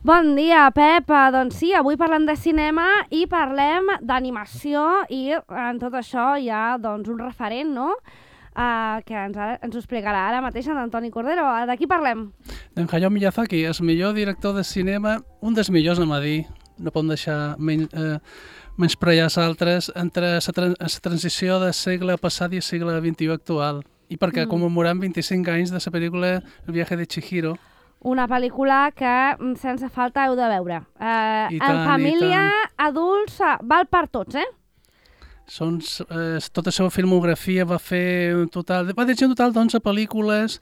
Bon dia, Pep. Doncs sí, avui parlem de cinema i parlem d'animació i en tot això hi ha doncs, un referent, no?, que ens ho explicarà ara mateix en Antoni Cordero. De qui parlem? D'en Hayao Miyazaki, el millor director de cinema, un dels millors, anem a dir, no podem deixar menysprear els altres, entre la transició del segle passat i el segle XXI actual. I perquè commemorem 25 anys de la pel·lícula El viaje de Chihiro. Una pel·lícula que sense falta heu de veure. En família, adults, val per tots, Tota la seva filmografia va fer un total... Va dirigir un total d'11 pel·lícules,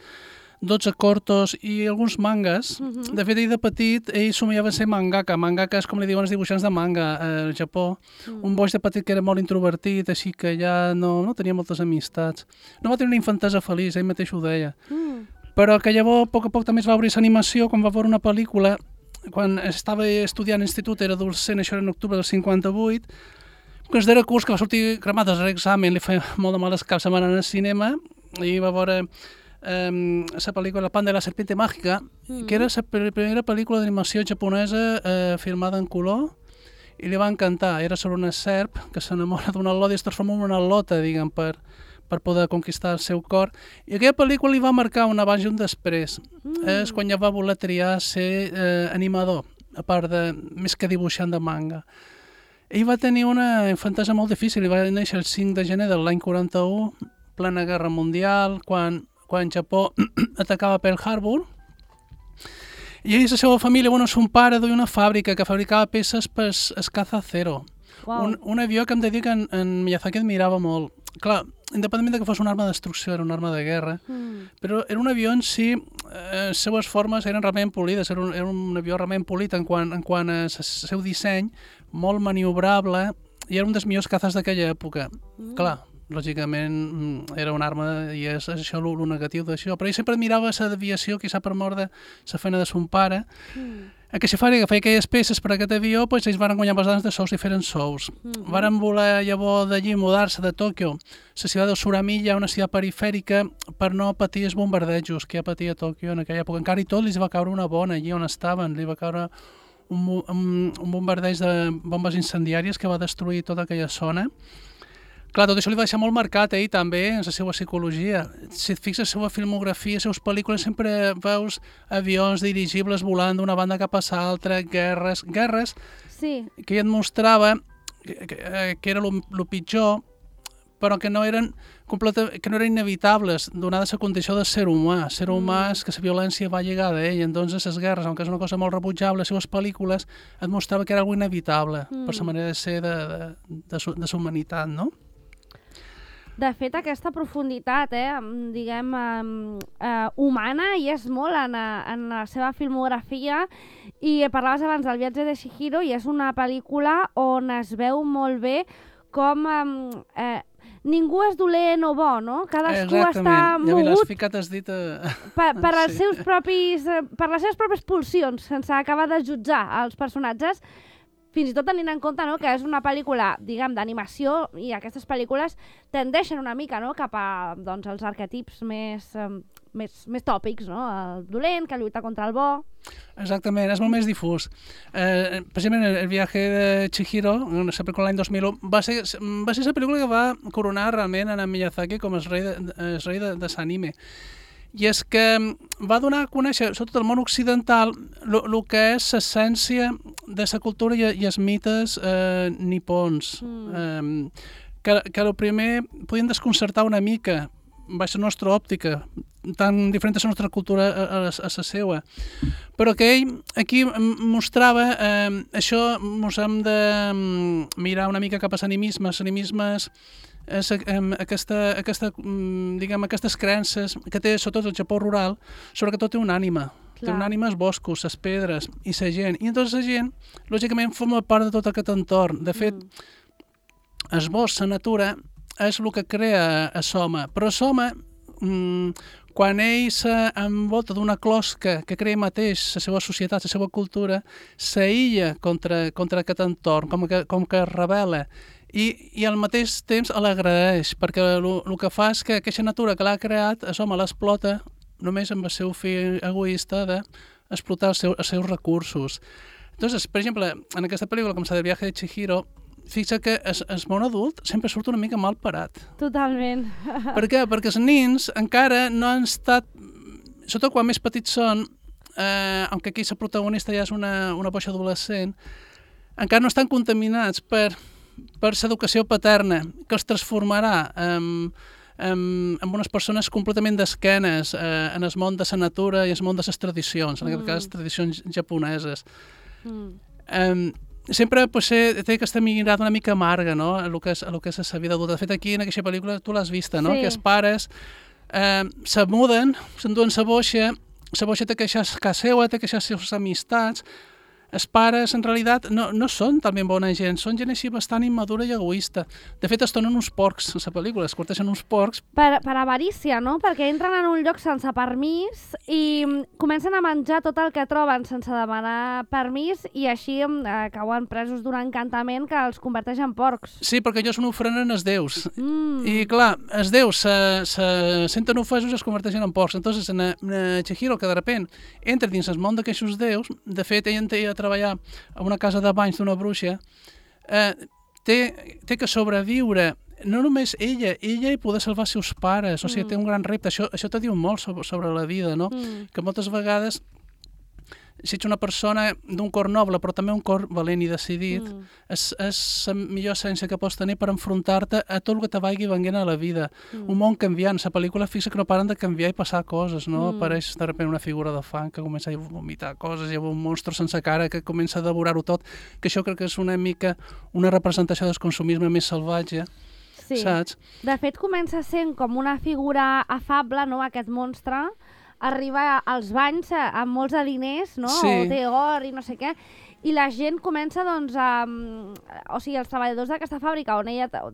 12 cortos i alguns mangas. De fet, ell de petit, ell somiava ser mangaka. Mangaka és com li diuen els dibuixants de manga al Japó. Un boig de petit que era molt introvertit, així que ja no tenia moltes amistats. No va tenir una infantesa feliç, ell mateix ho deia. Però que llavors, a poc també es va obrir l'animació quan va veure una pel·lícula, quan estava estudiant a l'institut, era adolescent, això era en octubre del 58, que es darrer curs que va sortir cremat a l'examen, li feia molt de males cap setmana al cinema, i va veure la pel·lícula Pan de la serpiente mágica, que era la primera pel·lícula d'animació japonesa filmada en color, i li va encantar. Era sobre una serp que s'enamora d'una al·lota i es transforma en una al·lota, diguem, per poder conquistar el seu cor. I aquella pel·lícula li va marcar un abans i un després. És quan ja va voler triar ser animador, a part de més que dibuixant de manga. Ell va tenir una infantesa molt difícil. Ell va néixer el 5 de gener de l'any 41, plena guerra mundial, quan Japó atacava Pearl Harbor. I ell i la seva família, son pare duia una fàbrica que fabricava peces per el Caza Zero. Wow. Un avió que hem de dir que en Miyazaki admirava molt. Clar, independentment que fos una arma de destrucció, era una arma de guerra, però era un avió en si, les seues formes eren realment polides, era un avió realment polit en quant al seu disseny, molt maniobrable, i era un dels millors cazes d'aquella època. Clar, lògicament era una arma i és això el negatiu d'això, però ell sempre admirava la deviació, quizà per mort de la feina de son pare, que si feia aquelles peces per a aquest avió, doncs ells van guanyar bastants de sous i feren sous. Varen voler llavors d'allí mudar-se de Tòquio, la ciutat de Suramiya, una ciutat perifèrica, per no patir els bombardejos que ja patia Tòquio en aquella època. Encara i tot, li va caure una bona allí on estaven, li va caure un bombardeig de bombes incendiàries que va destruir tota aquella zona. Clar, tot això li va deixar molt marcat a ell també, en la seva psicologia. Si et fixes la seva filmografia, les seves pel·lícules, sempre veus avions dirigibles volant d'una banda cap a l'altra, guerres que ell et mostrava que era el pitjor, però que no eren inevitables, donada la condició de ser humà. Ser humà és que la violència va lligada a ell, entonces les guerres, aunque és una cosa molt rebutjable, les seves pel·lícules et mostrava que era algo inevitable per la manera de ser de la humanitat, no? De fet, aquesta profunditat, diguem, humana, hi és molt en la seva filmografia, i parlaves abans del viatge de Chihiro, i és una pel·lícula on es veu molt bé com ningú és dolent o bo, no? Cadascú està mogut per les seves pròpies pulsions, sense acabar de jutjar els personatges, fins i tot tenint en compte que és una pel·lícula, diguem, d'animació, i aquestes pel·lícules tendeixen una mica cap a els arquetips més tòpics, no? El dolent, que lluita contra el bo... Exactament, és molt més difús. Precisament el viaje de Chihiro, la pel·lícula l'any 2001, va ser la pel·lícula que va coronar realment en Miyazaki com el rei de l'anime. I és que va donar a conèixer, sobretot al món occidental, el que és l'essència de la cultura i els mites nipons. Que el primer podien desconcertar una mica, baix la nostra òptica, tan diferent de la nostra cultura a la seva. Però que ell aquí mostrava això, ens hem de mirar una mica cap a l'animisme. L'animisme és aquestes creences que té, sobretot el Japó rural, sobre que tot té una ànima. Té una ànima els boscos, les pedres i la gent. I llavors la gent, lògicament, forma part de tot aquest entorn. De fet, el bosc, la natura, és el que crea l'home. Però l'home, quan ell s'envolta d'una closca que crea mateix la seva societat, la seva cultura, s'aïlla contra aquest entorn, com que es rebel·la. I al mateix temps l'agraeix, perquè el que fa és que aquesta natura que l'ha creat, l'home l'explota només amb el seu fi egoista d'explotar els seus recursos. Entonces, per exemple, en aquesta pel·lícula, com s'ha del viatge de Chihiro, fixa que el món adult sempre surt una mica mal parat. Totalment. Per què? Perquè els nins encara no han estat, sobretot quan més petits són, aunque aquí la protagonista ja és una boixa adolescent, encara no estan contaminats per l'educació paterna, que els transformarà amb unes persones completament d'esquenes en el món de la natura i en el món de les tradicions, en aquest cas tradicions japoneses. Sempre potser té aquesta mirada una mica amarga, no?, a lo que és la vida adulta. De fet, aquí en aquesta pel·lícula tu l'has vista, no?, que els pares se muden, s'enduen la boixa té que deixar casa seva, té que deixar les seves amistats. Els pares, en realitat, no són talment bona gent, són gent així bastant immadura i egoista. De fet, es tornen uns porcs, a la pel·lícula, es corteixen uns porcs. Per avarícia, no? Perquè entren en un lloc sense permís i comencen a menjar tot el que troben sense demanar permís i així cauen presos d'un encantament que els converteix en porcs. Sí, perquè ells n'ofrenen els déus. I, clar, els déus se senten ofesos i es converteixen en porcs. Entonces, en Chihiro, que de repent entra dins el món d'aquests déus, de fet, ell entra a treballar a una casa de banys d'una bruixa, té que sobreviure, no només ella i poder salvar els seus pares, o sigui, té un gran repte. Això te diu molt sobre la vida, no? Que moltes vegades, si ets una persona d'un cor noble, però també un cor valent i decidit, és la millor essència que pots tenir per enfrontar-te a tot el que te vagi venint a la vida. Un món canviant. La pel·lícula fixa que no paren de canviar i passar coses, no? Apareix de repente una figura de fang que comença a vomitar coses, hi ha un monstre sense cara que comença a devorar-ho tot, que això crec que és una mica una representació del consumisme més salvatge. Sí. Saps? De fet, comença sent com una figura afable, no?, aquest monstre, arriba als banys amb molts de diners, no? Sí. O té or i no sé què, i la gent comença, doncs, o sigui, els treballadors d'aquesta fàbrica,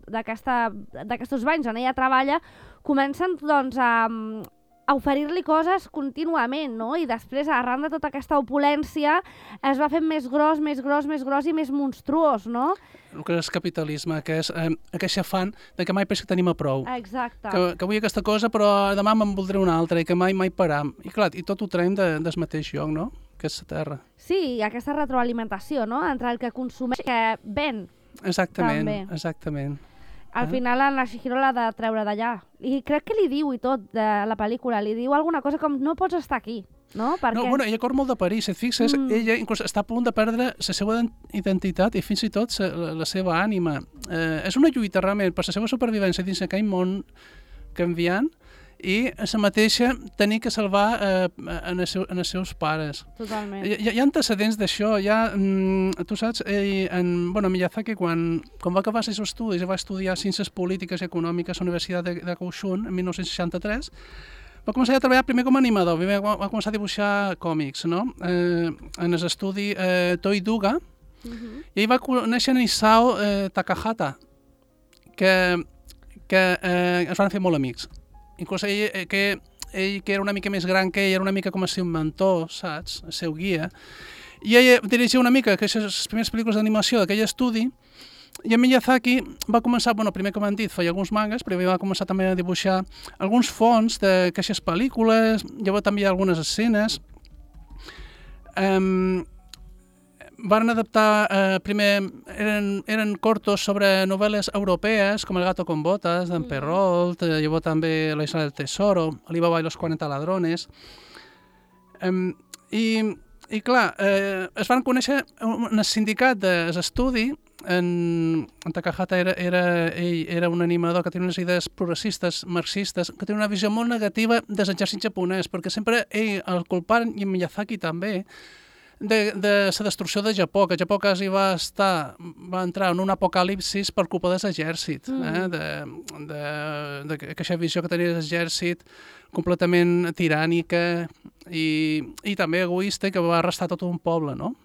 d'aquests banys on ella treballa, comencen, doncs, a oferir-li coses contínuament, no? I després, arran de tota aquesta opulència, es va fent més gros i més monstruós, no? El que és capitalisme, que és aquest afany de que mai penso que tenim a prou. Exacte. Que vull aquesta cosa, però demà me'n voldré una altra i que mai param. I clar, i tot ho traiem del mateix lloc, no?, que és la terra. Sí, i aquesta retroalimentació, no?, entre el que consumeix i que ven. Exactament, també. Exactament. Al final, en la Chihiro l'ha de treure d'allà. I crec que li diu i tot de la pel·lícula. Li diu alguna cosa com, no pots estar aquí, no? Perquè... No, bueno, ella corre molt de París, et fixes? Ella inclús està a punt de perdre la seva identitat i fins i tot la seva ànima. És una lluita realment per la seva supervivència dins aquell món canviant i la mateixa tenir que salvar en els seus pares. Totalment. Hi ha antecedents d'això. Tu saps, Miyazaki, quan va acabar els seus estudis, va estudiar Ciències Polítiques i Econòmiques a la Universitat de Kaohsiung en 1963, va començar a treballar primer com a animador, va començar a dibuixar còmics, no? En l'estudi Toei Duga, i ell va conèixer en Isao Takahata, que es van fer molt amics. Inclús ell, que era una mica més gran que ell, era una mica com el seu mentor, saps? El seu guia. I ell dirigia una mica les primeres pel·lícules d'animació d'aquell estudi, i en Miyazaki va començar, primer com han dit, feia alguns mangas, però va començar també a dibuixar alguns fons d'aquestes pel·lícules, llavors també hi ha algunes escenes. Van adaptar, primer, eren cortos sobre novel·les europees, com El gato con botas, d'en Perrault, llavors també La isla del tesoro, Alibaba y los 40 ladrones. I clar, es van conèixer en el sindicat d'estudi. En Takahata era un animador que tenia unes idees progressistes, marxistes, que tenia una visió molt negativa de l'exèrcit japonès, perquè sempre ell el culparen, i Miyazaki també, de la destrucció de Japó, que Japó quasi va entrar en un apocalipsis per culpa de l'exèrcit, d'aquesta visió que tenia l'exèrcit completament tirànica i també egoista, que va arrestar tot un poble, no?,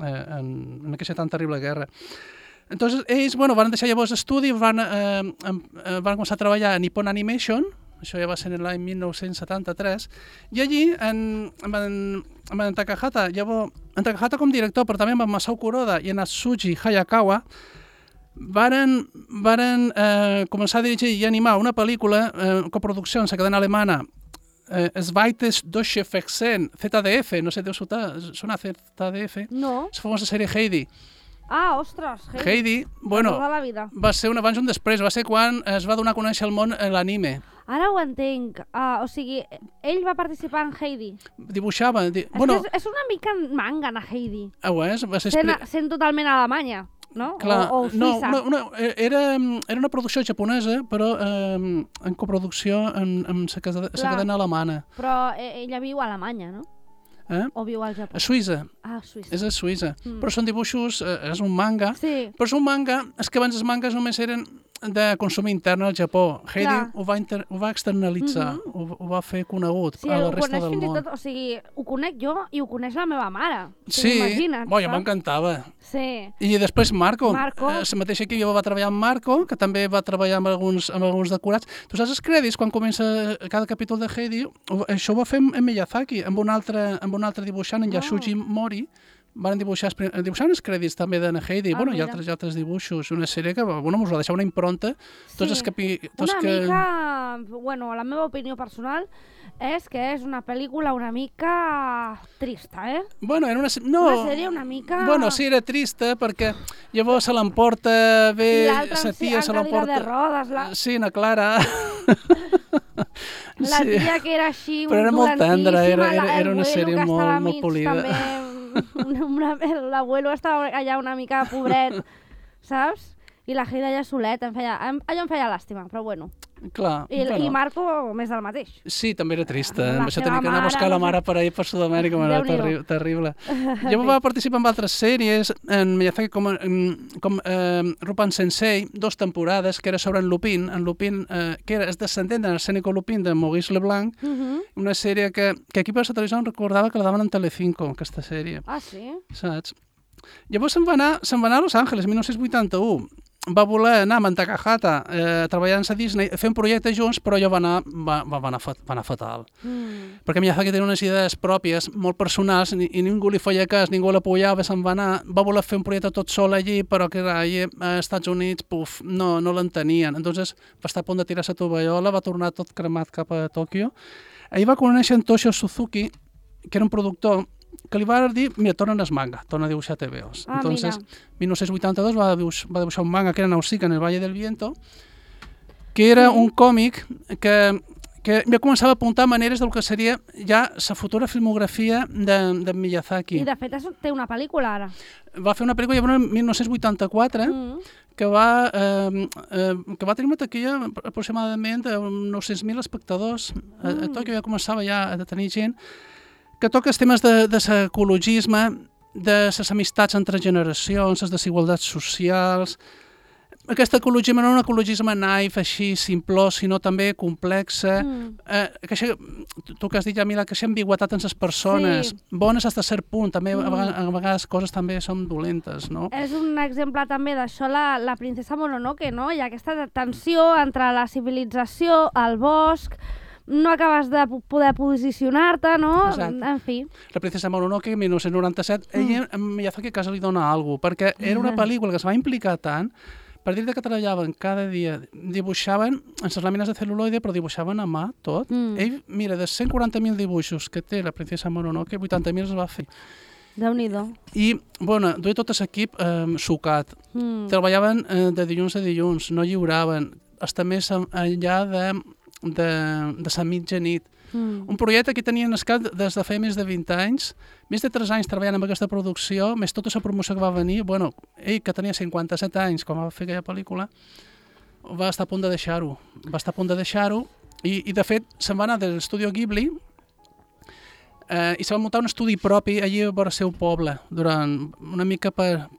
en aquesta tan terrible guerra. Entonces, ells van deixar llavors estudi, van començar a treballar a Nippon Animation, això ja va ser en l'any 1973, i allí, en Takahata, en Takahata com director, però també amb Masao Kuroda i en Atsushi Hayakawa, varen començar a dirigir i animar una pel·lícula, coproducció en la cadena alemana Zweites Deutsche Fernsehen, ZDF, no sé, deu sonar ZDF. No. La famosa sèrie Heidi. Ah, ostres, Heidi, bueno, tota la vida. va ser un abans i un després, va ser quan es va donar a conèixer al món l'anime. Ara ho entenc. O sigui, ell va participar en Heidi. Dibuixava... Bueno, és una mica manga, na Heidi. Ho és, va ser... Sent totalment a Alemanya, no? Clar, o Suïssa. No, era una producció japonesa, però en coproducció amb la cadena alemana. Però ella viu a Alemanya, no? O viu al Japó? A Suïssa. Ah, a Suïssa. És a Suïssa. Però són dibuixos, és un manga. Sí. Però és un manga, és que abans els mangas només eren de consum intern al Japó. Heidi ho va externalitzar, ho va fer conegut a la resta del món. Sí, ho coneix fins i tot, o sigui, ho conec jo i ho coneix la meva mare. Sí, ja m'encantava. Sí. I després Marco. La mateixa equip va treballar amb Marco, que també va treballar amb alguns decorats. Tu saps els crèdits, quan comença cada capítol de Heidi, això ho va fer en Miyazaki, amb un altre dibuixant, en Yasuji Mori, van dibuixar els crèdits també de Heidi, i altres dibuixos, una sèrie que us va deixar una impronta. Mica, la meva opinió personal és que és una pel·lícula una mica trista, Era una sèrie una mica... Sí, era trista, perquè llavors se l'emporta bé, sa tia se l'emporta... I l'altra de rodes, Sí, na Clara... La tia que era així, però era molt tendra, era una sèrie molt polida. L'abuelo estava allà una mica pobret, saps? I la Heidi allà soleta, allò em feia làstima, però bueno. Clar. I Marco, més del mateix. Sí, també era trista. Això tenia que anar a buscar la mare per ahir per Sud-amèrica, era terrible. Jo va participar en altres sèries, en Miyazaki com Rupan Sensei, 2 temporades, que era sobre en Lupin, que és descendent de Arsénico Lupin, de Maurice Leblanc, una sèrie que aquí per la televisió em recordava que la daven en Telecinco, aquesta sèrie. Ah, sí? Saps? Llavors se'n va anar a Los Angeles, 1981. Va voler anar a Mantakahata treballant a Disney, fer un projecte junts, però allò va anar fatal. Perquè Miyazaki tenia unes idees pròpies, molt personals, i ningú li feia cas, ningú l'apoyava, se'n va anar. Va voler fer un projecte tot sol allí, però que allà als Estats Units no l'entenien. Entonces va estar a punt de tirar la tovallola, va tornar tot cremat cap a Tòquio. Ahir va conèixer en Toshio Suzuki, que era un productor, que li va dir, mira, torna el manga, torna a dibuixar TVOs. Entonces, en 1982 va dibuixar un manga que era Nausicaa en el Valle del Viento, que era un còmic que ja començava a apuntar maneres del que seria ja la futura filmografia de Miyazaki. I de fet té una pel·lícula ara. Va fer una pel·lícula en 1984 que va tenir una taquilla aproximadament d'uns 900.000 espectadors. A Tòquio ja començava a tenir gent que toca els temes de l'ecologisme, de les amistats entre generacions, les desigualtats socials. Aquest ecologisme no és un ecologisme naif, així, simplós, sinó també complexa. Tu que has dit, Jamila, que aquesta ambigüitat en les persones, bones fins a cert punt, també a vegades coses també són dolentes, no? És un exemple també d'això la princesa Mononoke, no? Hi ha aquesta tensió entre la civilització, el bosc, no acabes de poder posicionar-te, no? Exacte. En fi. La princesa Mononoke, 1997, ella a Miyazaki a casa li dona alguna cosa, perquè era una pel·lícula que es va implicar tant, per dir que treballaven cada dia, dibuixaven en les làmines de cel·luloide, però dibuixaven a mà tot. Ell, mira, de 140.000 dibuixos que té la princesa Mononoke, 80.000 els va fer. Déu-n'hi-do. I, bueno, duia tot l'equip sucat. Treballaven de dilluns a dilluns, no lliuraven, està més enllà de la mitjanit. Un projecte que tenien escat des de fa més de 20 anys, més de 3 anys treballant amb aquesta producció, més tota la promoció que va venir. Bueno, ell, que tenia 57 anys quan va fer aquella pel·lícula, va estar a punt de deixar-ho. I de fet, se'n va anar de l'estudi Ghibli i se va muntar un estudi propi allí a vora el seu poble, durant una mica per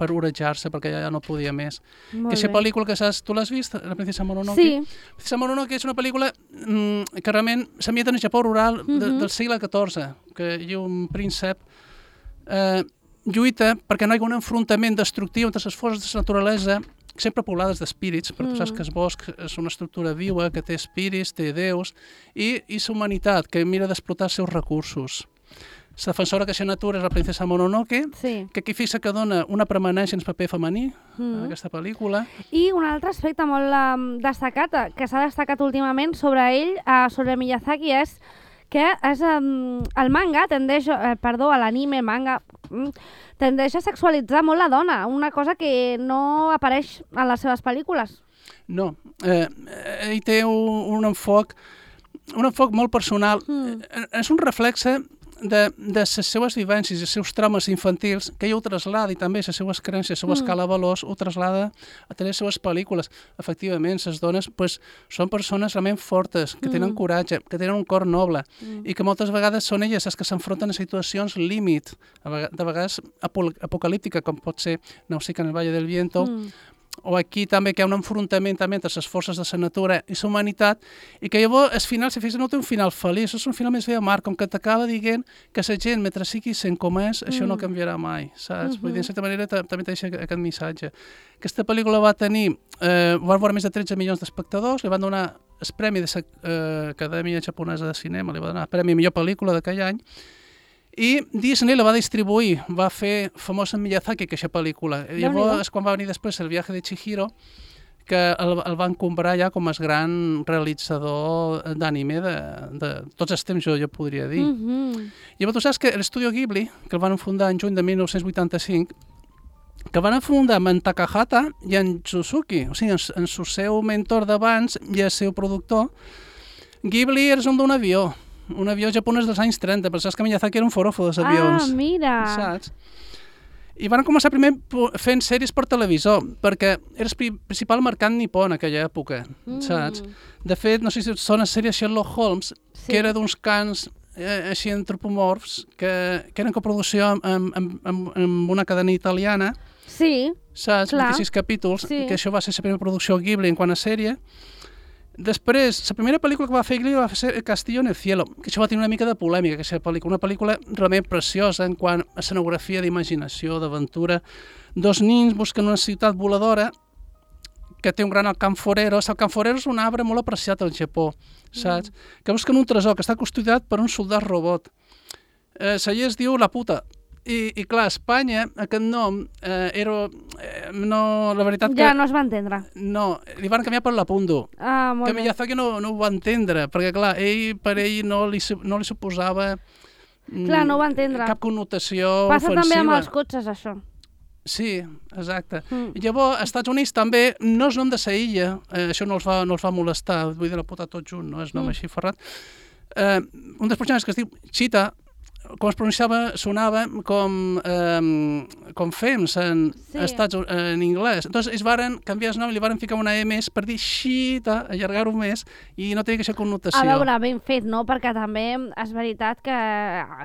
orejar-se, perquè ja no podia més. Aquesta pel·lícula que saps, tu l'has vist, La princesa Mononoke? Sí. La princesa Mononoke és una pel·lícula que realment s'ambienta en el Japó rural del segle XIV, que hi ha un príncep lluita perquè no hi ha un enfrontament destructiu entre les forces de la naturalesa, sempre poblades d'espírits, perquè tu saps que el bosc és una estructura viva, que té espírits, té déus, i la humanitat, que mira d'explotar els seus recursos. la defensora que la natura és la princesa Mononoke, que aquí fixa que dona una permanència en el paper femení en aquesta pel·lícula. I un altre aspecte molt destacat, que s'ha destacat últimament sobre ell, sobre Miyazaki, és que el manga tendeix, l'anime, manga, tendeix a sexualitzar molt la dona, una cosa que no apareix en les seves pel·lícules. No, ell té un enfoc molt personal. És un reflexe de les seues vivències i els seus traumes infantils, que ell ho traslada, i també les seues creences, la seva escala de valors, ho traslada a través de les seues pel·lícules. Efectivament, les dones són persones realment fortes, que tenen coratge, que tenen un cor noble, i que moltes vegades són elles les que s'enfronten a situacions límit, de vegades apocalíptica, com pot ser Nausicaa en el Valle del Viento, o aquí també que hi ha un enfrontament també entre les forces de la natura i la humanitat, i que llavors el final, si fixes, no té un final feliç, és un final més bé amarg, com que t'acaba dient que la gent, mentre sigui sent com és, això no canviarà mai, saps? Vull dir, de certa manera, també té aquest missatge. Aquesta pel·lícula va tenir, va veure més de 13 milions d'espectadors, li van donar el premi de l'Acadèmia Japonesa de Cinema, li va donar el premi millor pel·lícula d'aquell any, i Disney la va distribuir, va fer famosa en Miyazaki aquesta pel·lícula. I llavors, quan va venir després el Viaje de Chihiro, que el van comprar ja com el gran realitzador d'anime de tots els temps, jo podria dir. Llavors, tu saps que l'Estudio Ghibli, que el van fundar en juny de 1985, que van fundar amb en Takahata i en Suzuki, o sigui, en el seu mentor d'abans i el seu productor, Ghibli és un avió japonès dels anys 30, però saps que Miyazaki era un forofo dels avions. Ah, mira! Saps? I van començar primer fent sèries per televisor, perquè era el principal mercat nipó en aquella època, saps? De fet, no sé si són les sèries Sherlock Holmes, que era d'uns cans així antropomorfs, que eren coproducció amb una cadena italiana, saps? 26 capítols, que això va ser la primera producció Ghibli en quant a sèrie. Després, la primera pel·lícula que va fer Ghibli va ser El Castillo en el Cielo, que això va tenir una mica de polèmica, aquesta pel·lícula, una pel·lícula realment preciosa en quant a escenografia, d'imaginació, d'aventura. Dos nins busquen una ciutat voladora que té un gran alcanforero. El alcanforero és un arbre molt apreciat al Japó, saps? Que busquen un tresor que està custodiat per un soldat robot. La llei es diu La Puta. I clar, a Espanya aquest nom era... no, la veritat que... Ja no es va entendre. No, li van canviar per l'Apundo. Molt que bé. Miyazaki no ho va entendre, perquè clar, per ell no li suposava clar, no ho va entendre. Cap connotació Passa ofensiva. També amb els cotxes, això. Sí, exacte. I llavors, als Estats Units també no és nom de sa illa, això no els va molestar, vull dir la puta tot junt, no és nom així ferrat. Un dels personatges que es diu Cheetah, com es pronunciava, sonava com Fems en anglès. Entonces, ells varen canviar el nom i li varen ficar una E més per dir Cheetah, allargar-ho més, i no tenia aquesta connotació. A veure, ben fet, no? Perquè també és veritat que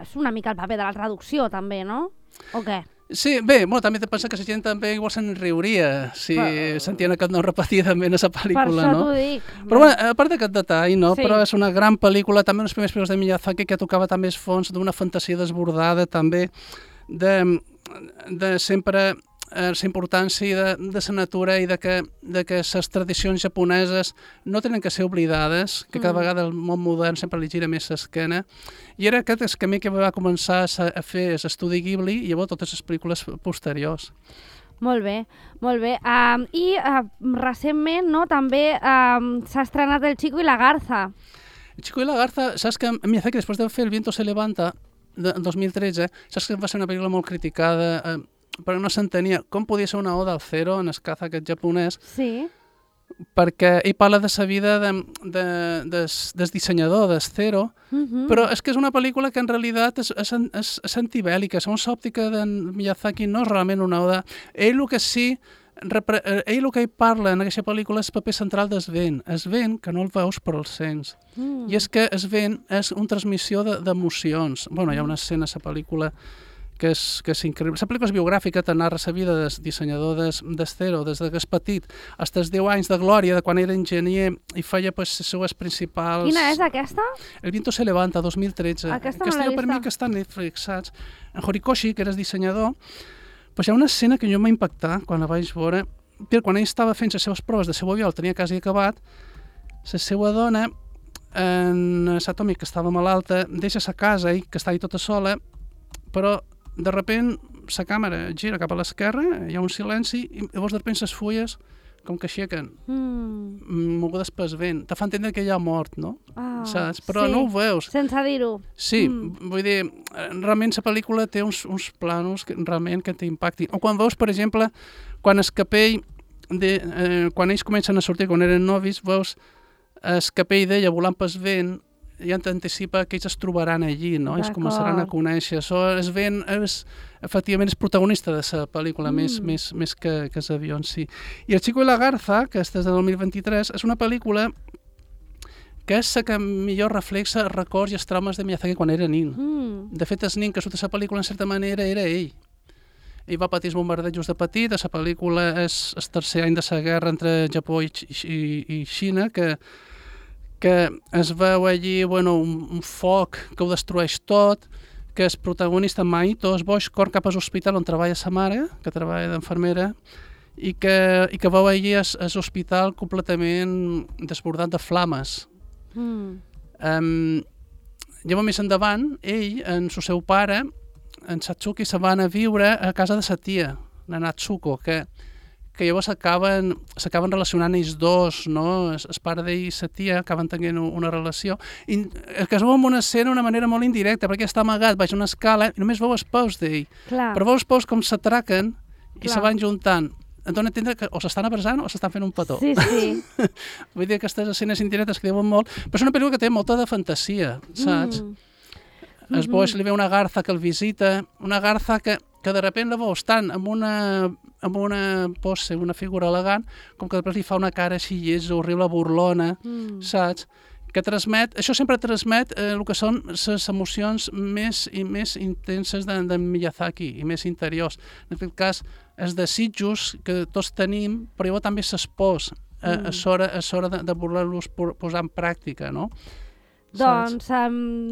és una mica el paper de la traducció, també, no? O què? Sí, bé, també te pensa que la gent també igual se'n riuria si sentien aquest nom repetidament a la pel·lícula, no? Per això t'ho dic. Però bueno, a part d'aquest detall, no? Però és una gran pel·lícula, també uns primers pel·lícules de Miyazaki que tocava també els fons d'una fantasia desbordada, també de sempre la importància de la natura i de que les tradicions japoneses no tenen que ser oblidades, que cada vegada el món modern sempre li gira més l'esquena. I era aquest el camí que va començar a fer l'estudi Ghibli i llavors totes les pel·lícules posteriors. Molt bé, molt bé. I recentment, no, també s'ha estrenat El Chico y la Garza. El Chico y la Garza, saps que Miyazaki, després de fer El viento se levanta, en 2013, saps que va ser una pel·lícula molt criticada, però no s'entenia com podia ser una oda al Zero en el caza aquest japonès. Sí. Perquè ell parla de la vida del dissenyador del Zero, però és que és una pel·lícula que en realitat és antibèl·lica, segons l'òptica de Miyazaki no és realment una oda. Ell el que ell parla en aquesta pel·lícula és el paper central del vent. El vent que no el veus però el sents. I és que el vent és una transmissió d'emocions. Bueno, hi ha una escena a la pel·lícula que és increïble. La pel·lícula és biogràfica, te narra la vida del dissenyador del Zero, des que és petit, fins als 10 anys de glòria, de quan era enginyer i feia les seues principals... Quina és aquesta? El viento se levanta, 2013. Aquesta no l'he vista. Per mi que està a Netflix, saps? En Horikoshi, que era el dissenyador, hi ha una escena que jo m'ha impactat quan la vaig veure, perquè quan ell estava fent les seves proves de seu avió, el tenia quasi acabat, la seva dona, en Satomi, que estava malalta, deixa sa casa, ell, que estava tota sola, però de repent la càmera gira cap a l'esquerra, hi ha un silenci, i llavors de repent les fulles com que aixequen, mogudes pel vent. Te fa entendre que hi ha mort, no? Saps? Però no ho veus. Sense dir-ho. Sí, vull dir, realment la pel·lícula té uns planos que realment que t'impactin. O quan veus, per exemple, quan el capell, quan ells comencen a sortir, quan eren novis, veus el capell d'ella volant pel vent, ja t'anticipa que ells es trobaran allí, no? Ells començaran a conèixer. El vent efectivament és protagonista de la pel·lícula, més que els avions, sí. I El Chico y la Garza, que és del 2023, és una pel·lícula que és la que millor reflexa els records i els traumes de Miyazaki quan era nin. De fet, el nin que surt a la pel·lícula, en certa manera, era ell. Ell va patir els bombardejos de petit, a la pel·lícula és el tercer any de la guerra entre Japó i Xina, que es veu allí un foc que ho destrueix tot, que el protagonista Maito es boix, cor cap a l'hospital on treballa sa mare, que treballa d'enfermera, i que veu allí l'hospital completament desbordat de flames. Llavors, més endavant, ell, en el seu pare, en Satsuki, se van a viure a casa de sa tia, la Natsuko, que llavors s'acaben relacionant ells dos, no? El pare d'ell i sa tia acaben tenint una relació. I es veu en una escena d'una manera molt indirecta, perquè està amagat baix una escala i només veu els peus d'ell. Però veu els peus com s'atraquen i se van juntant. Et dona a entendre que o s'estan abraçant o s'estan fent un petó. Sí. Vull dir, aquestes escenes indirectes que diuen molt, però és una pel·lícula que té molta de fantasia, saps? Es boix li ve una garza que el visita, una garza que de repent la veus tant amb una pose, una figura elegant, com que després li fa una cara així llesa, horrible, burlona, saps? Que transmet, això sempre transmet el que són les emocions més i més intenses de Miyazaki i més interiors. En aquest cas, els desitjos que tots tenim, però llavors també les pors, és hora de voler-los posar en pràctica, no? Doncs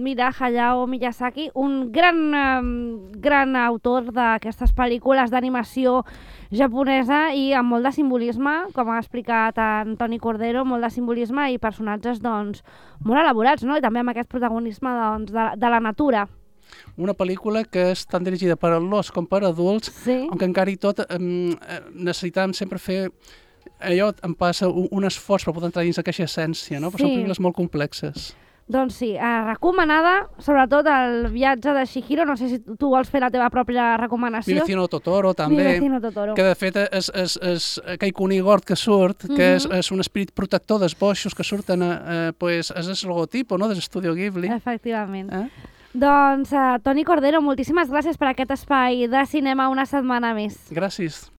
mira, Hayao Miyazaki, un gran autor d'aquestes pel·lícules d'animació japonesa i amb molt de simbolisme, com ha explicat en Toni Cordero, molt de simbolisme i personatges doncs, molt elaborats, no? I també amb aquest protagonisme doncs, de la natura. Una pel·lícula que és tan dirigida per adults com per adults, on encara i tot necessitàvem sempre fer allò, em passa un esforç per poder entrar dins aquesta essència, no? Però són pel·lícules molt complexes. Doncs sí, recomanada, sobretot el viatge de Chihiro, no sé si tu vols fer la teva pròpia recomanació. Mi vecino Totoro, també. Mi vecino Totoro. Que de fet és aquell conigord que surt, que és un esperit protector dels boixos que surten, és el logotipo, no?, de l'Estudio Ghibli. Efectivament. Doncs, Toni Cordero, moltíssimes gràcies per aquest espai de cinema una setmana més. Gràcies.